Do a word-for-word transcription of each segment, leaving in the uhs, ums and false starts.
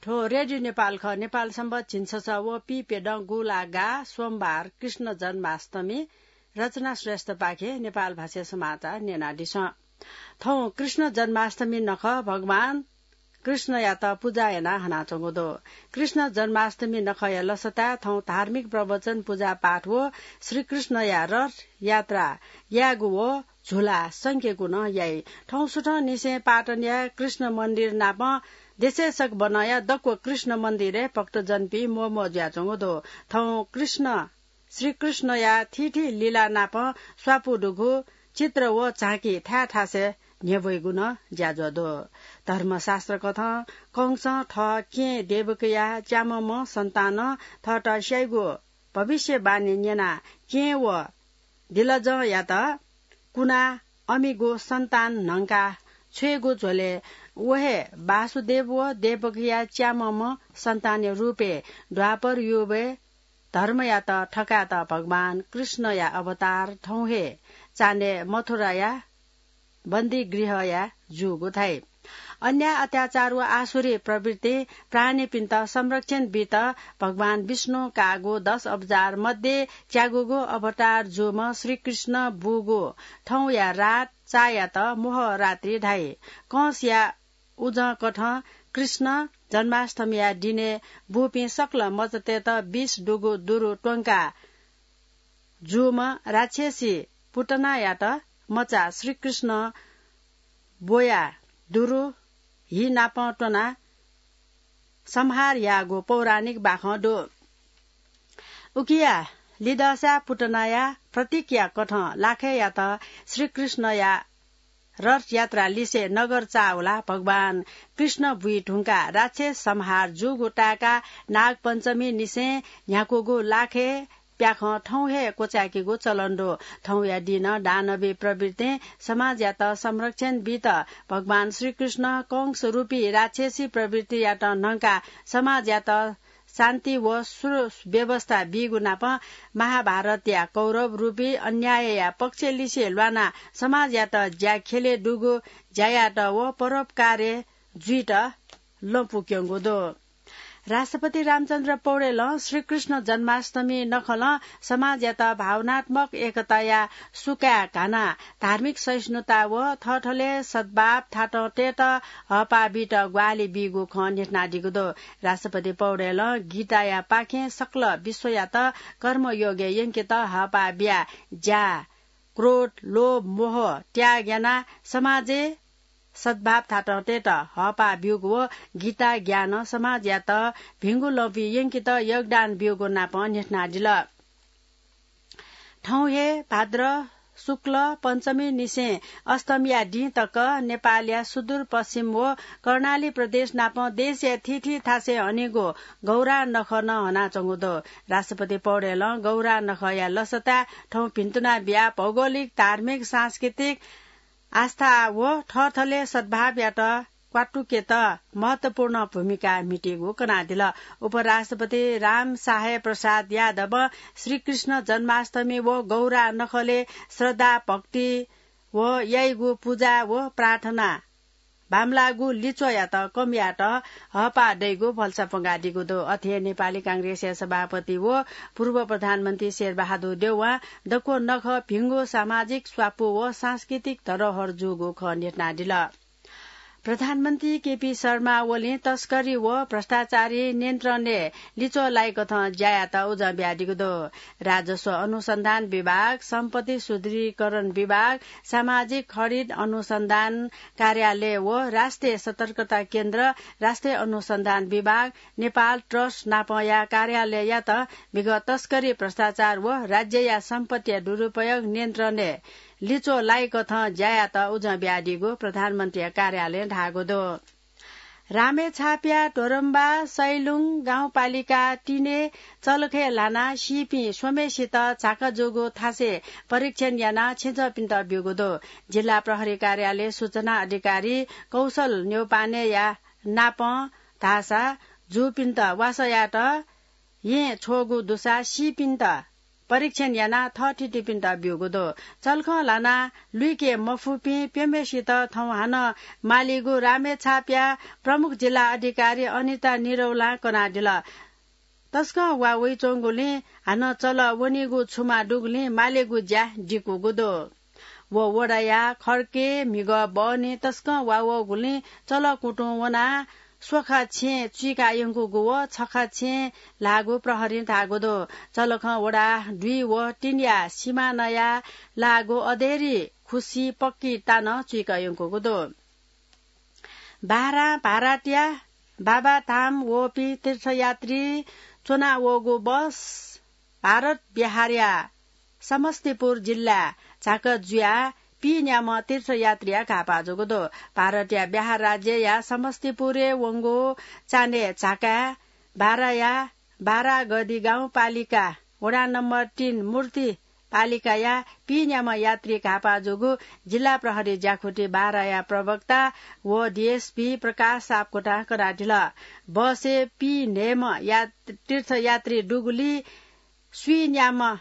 थ्व रेडियो नेपाल खः। नेपाल संवत झिंछसः व पीप्यदँ गुंला गाः सोमबार कृष्ण जन्माष्टमी। रचना श्रेष्ठपाखें नेपाल भाषाय् समाचार न्यनादिसँ। थौं कृष्ण जन्माष्टमी नखः भगवान कृष्णयात पुजा याना हनाच्वंगु दु। कृष्ण जन्माष्टमी नखःया लसताय् थौं धार्मिक प्रवचन, पुजापाठ व श्रीकृष्णया रथ यात्रा यायेगु व झुला संकेगु नं याइ। थौं सुथंनिसें पाटनया कृष्ण मन्दिर नापं देशय् सकभनया दक्व कृष्ण मन्दिरय् भक्तजनपिं म्वःम्वः जुयाच्वंगु दु। थौं कृष्ण, श्रीकृष्णया थीथी लीला नापं स्वापू दुगु चित्र व झाँकी थाय् थासय् न्ह्यब्वइगु नं ज्याझ्वः दु। धर्मशास्त्रकथं कंसं थः केहेँ देवकीया च्याम्हम्ह सन्तानं थःत स्याइगु भविष्यवाणी न्यनाः केहेँ व दिलजंयात कुनाः अमिगु सन्तान न्हंका छ्वयेगु झ्वलय् व हे वासुदेव व देवकीया च्याम्हम्ह सन्तानया रूपय् द्वापर युगय् धर्मयात थकायेत भगवान कृष्णया अवतार थौं हे चान्हय् मथुराया बन्दीगृहया जूगु धाइ। अन्याय, अत्याचार व आसुरी प्रवृत्ति प्राणीपिन्त संरक्षण बीत भगवान विष्णु काःगु दश अवतार मध्ये च्यागूगु अवतार जूम्ह श्रीकृष्ण बूगु थौंया रात चायात मोह रात्रि धाइ। कंसया उजंकथं कृष्ण जन्माष्टमीया दिनय् बूपिं सकल मचातय्त विष दुगु दुरु त्वंका जूम्ह राक्षसी पुतनायात मचा श्रीकृष्ण ब्वया दुरु हि नाप त्वना संहार याःगु पौराणिक बाखं दु। उकिया लिदःसा पुतनाया प्रतीकया कथं लाखेयात श्रीकृष्णया रथयात्रा लिसे नगर चाःवला भगवान कृष्ण बुइ धुंकाः राक्षस संहार जूगु ताय्का नागपञ्चमी निसें न्ह्याकूगु लाखे प्याखं थौं हे क्वचाय्केगु चलन दु। थौंया दिं दानवी प्रवृत्तिं समाजयात संरक्षण बीत भगवान श्रीकृष्ण कंस रूपी राक्षसी प्रवृत्तियात न्हंकाः समाजयात शान्ति व सुव्यवस्था बीगु नाप महाभारतया कौरव रूपी अन्यायया पक्षलिसे ल्वानाः समाजयात ज्याख्यलय् दुगु ज्यायात व परोपकारी जुइत लँपु क्यंगु दु। राष्ट्रपति रामचन्द्र पौडेलं श्रीकृष्ण जन्माष्टमी नखलं समाजयात भावनात्मक एकताया सुकाय् घानाः धार्मिक सहिष्णुता व थःथलय् सद्भाव थातं तयेत हःपाः बीत ग्वाहालि बीगु खँ न्ह्यथनादीगु दु। राष्ट्रपति पौडेलं गीताया पाखें सकल विश्वयात कर्मयोगय् यंकेत हःपाः बियाः ज्या, क्रोध, लोभ, मोह त्याग यानाः समाजय् सद्भाव थातं तयेत हःपाः ब्यूगु व गीता ज्ञानं समाजयात भिंगु लँपुइ यंकेत योगदान ब्यूगु नाप न्ह्यथनादिल। थौं हे भाद्र शुक्ल पञ्चमी निसें अष्टमीया दिं तक नेपालया सुदूर पश्चिम व कर्णाली प्रदेश नाप देशया थीथी थासय् हनीगु गौरा नखः नं हनाच्वंगु दु। राष्ट्रपति पौडेलं गौरा नखःया लसताय् थौं भिन्तुना बियाः भौगोलिक, धार्मिक, सांस्कृतिक आस्था व थःथलय् सद्भावयात क्वातुकेत महत्वपूर्ण भूमिका म्हितीगु कनादिल। उपराष्ट्रपति राम सहाय प्रसाद यादवं श्रीकृष्ण जन्माष्टमी व गौरा नखलय् श्रद्धा, भक्ति व याइगु पुजा व प्रार्थना बांमलाःगु लिच्वःयात कम यायेत हःपाः दइगु भलसा प्वंकादीगु दु। अथे हे नेपाली कांग्रेसया सभापति व पूर्व प्रधानमन्त्री शेरबहादुर देउवां दक्व नखः भिंगु सामाजिक स्वापू व सांस्कृतिक धरोहर जूगु खँ न्ह्यथनादिल। प्रधानमन्त्री केपी शर्मा ओलीं तस्करी व भ्रष्टाचारी नियन्त्रणय् लिच्वः लाइकथं ज्या यायेत उजं बियादीगु दु। राजस्व अनुसन्धान विभाग, सम्पत्ति सुदृढीकरण विभाग, सामाजिक हरित अनुसन्धान कार्यालय व राष्ट्रिय सतर्कता केन्द्र, राष्ट्रिय अनुसन्धान विभाग, नेपाल ट्रस्ट नापंया कार्यालययात विगत तस्करी, भ्रष्टाचार व राज्यया सम्पत्तिया दुरुपयोग नियन्त्रणय् लिच्वः लाइकथं ज्या यायेत उजं बियादीगु प्रधानमन्त्रीया कार्यालयं धाःगु दु। रामेछापया ढोरम्बा सैलुङ गाउँपालिका तीनय् चलखय् ल्हानाः सीपिं स्वम्हेसित झाका जूगु थासय् परीक्षण यानाः छेँजःपिन्त ब्यूगु दु। जिल्ला प्रहरी कार्यालय सूचना अधिकारी कौशल न्यौपानेया नापं धाःसा जूपिन्त वासः यायेत येँ छ्वःगु दुसा सीपिन्त परीक्षण यानाः थःथितिपिन्त ब्यूगु दु। चलखं ल्हानाः लुइके मफुपिं प्यम्हेसित थौं हानं मालीगु रामेछापया प्रमुख जिल्ला अधिकारी अनिता निरौलां कनादिल। तसकं वा वइच्वंगुलिं हानं चलः वनीगु छुमा दुगुलिं मालेगु ज्या दिकूगु दु। व वडाया खर्के म्हिगः बहनी तसकं वा वःगुलिं चलः कुतुं वनाः स्वखा छेँ चुइका यंकूगु व छखा छेँ ल्हाःगु प्रहरीं धाःगु दु। चलखं वडा दुई व तीनया सिमानाया ल्हाःगु अधेरी खुसी पक्की तानं चुइका यंकूगु दु। बाह्रां भारतया बाबाधाम वःपिं तीर्थयात्री च्वना वःगु बस भारत बिहारया समस्तीपुर जिल्ला झाक जुयाः पीन्याम्ह तीर्थयात्रीया घाःपाः जूगु दु। भारतया बिहार राज्यया समस्तीपुरय् वंगु चान्हय् झाकाय् बाह्राया बाह्रागढी गाउँपालिका वडा नम्बर तीन मूर्ति पालिकाया पीन्याम्ह यात्री घाःपाः जूगु जिल्ला प्रहरी ज्याखुति बाह्राया प्रवक्ता व डीएसपी प्रकाश सापकोटां कनादिल। बसय् पीन्हय्म्ह या-, तीर्थयात्री दुगुलिं स्वीन्याम्ह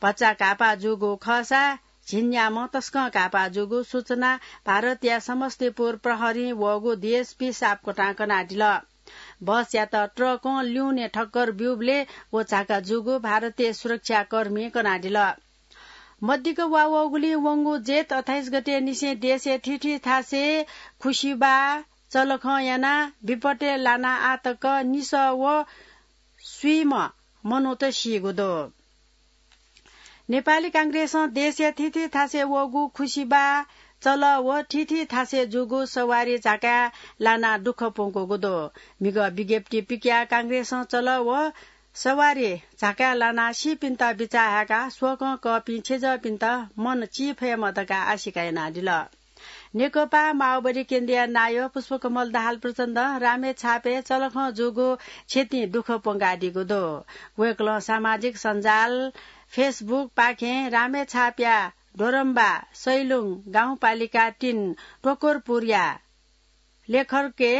भचा घाःपाः जूगु खःसा झिंन्याम्ह तसकं घाःपाः जूगु सूचना भारतया समस्तीपुर प्रहरीं वःगु डीएसपी सापकोटां कनादिल। बसयात ट्रकं ल्यूने ठक्कर ब्यूबलय् व झाका जूगु भारतीय सुरक्षाकर्मीं कनादिल। मदिक्क वा वःगुलिं वंगु जेठ अट्ठाइस गते निसें देशय् थीथी थासय् खुसिबाः चलखं यानाः विपतय् लानाः आः तक निसः व स्वीम्ह मनूत सीगु दु। नेपाली कांग्रेसं देशया थीथी थासय् वःगु खुसिबाः चलः व थीथी थासय् जूगु सवारी झाकाय् लानाः दुःख प्वंकूगु दु। म्हिगः विज्ञप्ति पिकयाः कांग्रेसं चलः व सवारी झाकाय् लानाः सीपिन्त बिचाः हायेकाः स्वकं कःपिं छेँजःपिन्त मन चीफयेमा धकाः आशिका यानादिल। नेकपा माओवादी केन्द्रया नायः पुष्पकमल दाहाल प्रचण्डं रामेछापय् चलखं जूगु क्षतिं दुःख प्वंकादीगु दु। वय्कलं सामाजिक सञ्जाल Facebook पाखें रामेछापया डोरम्बा सैलुङ गाउँपालिका तीन टोकरपुरया लेखर्के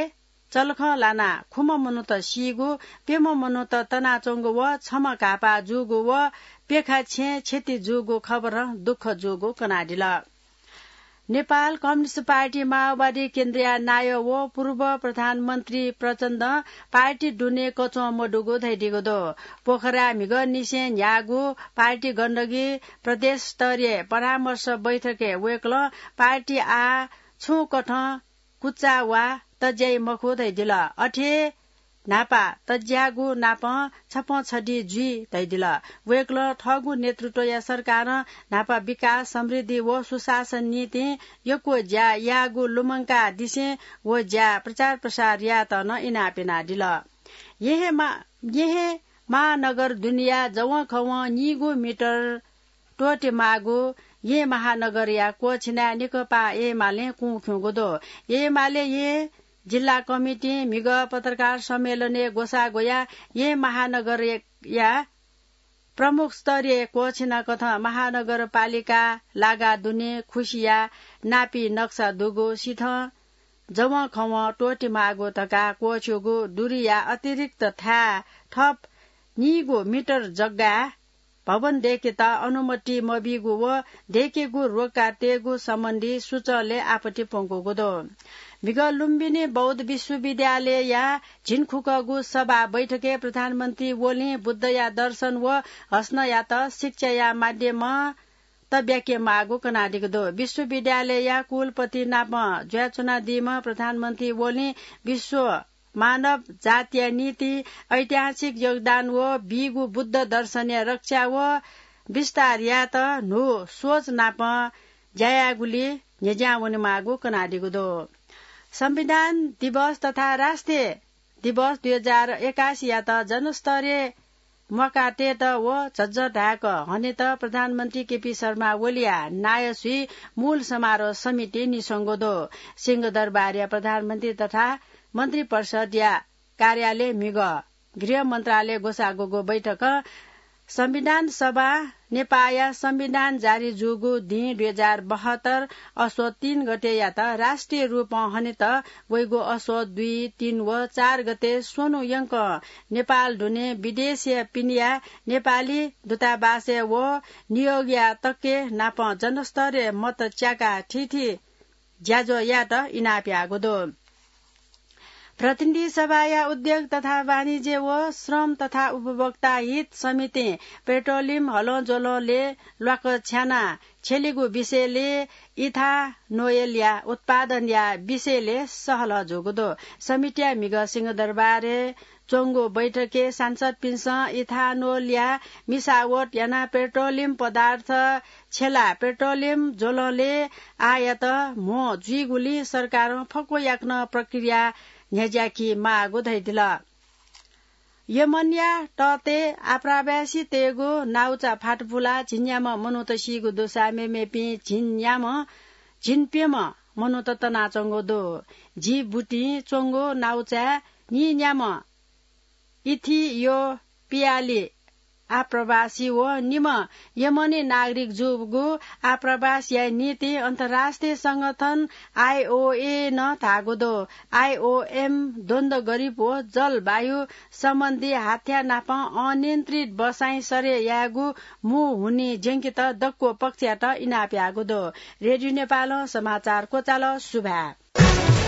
चलखं लानाः खुम्ह मनूत सीगु, प्यम्ह मनूत तनाच्वंगु व छम्ह घाःपाः जूगु व प्यखा छेँ क्षति जूगु खबरं दुःख जूगु कनादिल। नेपाल कम्युनिस्ट पार्टी माओवादी केन्द्रया नायः व पूर्व प्रधानमन्त्री प्रचण्डं पार्टी दुने कच्वं मदुगु धयादीगु दु। पोखराय् म्हिगः निसें न्ह्याःगु पार्टी गण्डकी प्रदेश स्तरीय परामर्श बैठकय् वय्कलं पार्टी आः छुं कथं कुचा वा तज्याइ मखु धयादिल। अथे न्हापा तज्याःगु नापं छपं छधी जुइ धयादिल। वय्कलं थःगु नेतृत्वया सरकारं न्हापा विकास, समृद्धि व सुशासन निंतिं यक्व ज्या याःगु लुमंकादिसें व ज्या प्रचार प्रसार यायेत नं इनाप यानादिल। येँ हे मा-, येँ हे महानगर दुनेया जवंखवं नीगू मिटर त्वःते माःगु येँ महानगरया क्वःछिनाय् नेकपा एमालें कुँ खिउँगु दु। एमाले येँ जिल्ला कमिटिं म्हिगः पत्रकार सम्मेलनय् ग्वसाः ग्वयाः येँ महानगरया प्रमुख स्तरीय क्वःछिनाकथं महानगरपालिका लागा दुने खुसिया नापी नक्सा दुगु सिथं जवंखवं त्वःते माःगु धकाः क्वःछिउगु दूरीया अतिरिक्त थाय् थप नीगू मिटर जग्गाय् भवन दय्केत अनुमति मबीगु व दय्केगु रोका तयेगु सम्बन्धी सूचंलय् आपत्ति प्वंकूगु दु। म्हिगः लुम्बिनी बौद्ध विश्वविद्यालयया झिंखुकःगु सभा बैठकय् प्रधानमन्त्री ओलीं बुद्धया दर्शन व हसनयात शिक्षाया माध्यमं तब्याके माःगु कनादीगु दु। विश्वविद्यालयया कुलपति नाप जुयाच्वनादीम्ह प्रधानमन्त्री ओलीं विश्व मानव जातिया निंतिं ऐतिहासिक योगदान व बीगु बुद्ध दर्शनया रक्षा व विस्तार यायेत न्हू सोच नाप ज्या यायेगुली न्ह्यज्यां वनेमाःगु कनादीगु दु। संविधान दिवस तथा राष्ट्रिय दिवस दुई हजार एकासीयात जनस्तरीय म्वाका तयेत व झज्झढाय्क हनेत प्रधानमन्त्री केपी शर्मा ओलीया नायःसुइ मूल समारोह समिति निस्वंगु दु। सिंहदरबारया प्रधानमन्त्री तथा मन्त्रिपरिषदया कार्यालय म्हिगः गृह मन्त्रालय ग्वसाः ग्वःगु बैठकं संविधान सभा नेपाःया संविधान जारी जूगु दिं दुई हजार बहत्तर असोज तीन गतेयात राष्ट्रिय रूपं हनेत वइगु असोज दुई, तीन व चार गते स्वन्हु यंक नेपाल दुने विदेशया पिनिया नेपाली दूतावासय् व नियोगया तके नाप जनस्तरय् मत च्याकाः थीथी ज्याझ्वः यायेत इनाप याःगु दु। प्रतिनिधि सभाया उद्योग तथा वाणिज्य व श्रम तथा उपभोक्ता हित समितिं पेट्रोलियम हलंज्वलंलय् ल्वाकछ्यानाः छ्यलीगु विषयलय् इथानोलया उत्पादनया विषयलय् सहलह जूगु दु। समितिया म्हिगः सिंहदरबारय् च्वंगु बैठकय् सांसदपिन्सं इथानोलया मिसावट यानाः पेट्रोलियम पदार्थ छ्यलाः पेट्रोलियम ज्वलंलय् आयात म्हो जुइगुलिं सरकारं फक्व याकनं प्रक्रिया न्ह्यज्याके माःगु धयादिल। यमनया तःतय् आप्रवासीतय्गु नाउचा फातपुलाः झिंन्याम्ह मनूत सीगु दुसा मेमेपिं झिंन्याम्ह झिंप्यम्ह मनूत तनाच्वंगु दु। जिबुटिं च्वंगु नाउचाय् नीन्याम्ह इथियोपियाली आप्रवासी व निम्ह यमनी नागरिक जूगु आप्रवास याये निंतिं अन्तर्राष्ट्रिय संगठन आइओए नं धाःगु दु। आइओएम द्वन्द्व गरीब व जलवायु सम्बन्धी हाथ्या नाप अनियन्त्रित बसाइँ सरे यायेगु मू हुनिं ज्यंकेत दक्व पक्षयात इनाप याःगु दु। रेडियो नेपालं समाचार क्वचाल। सुभाय्।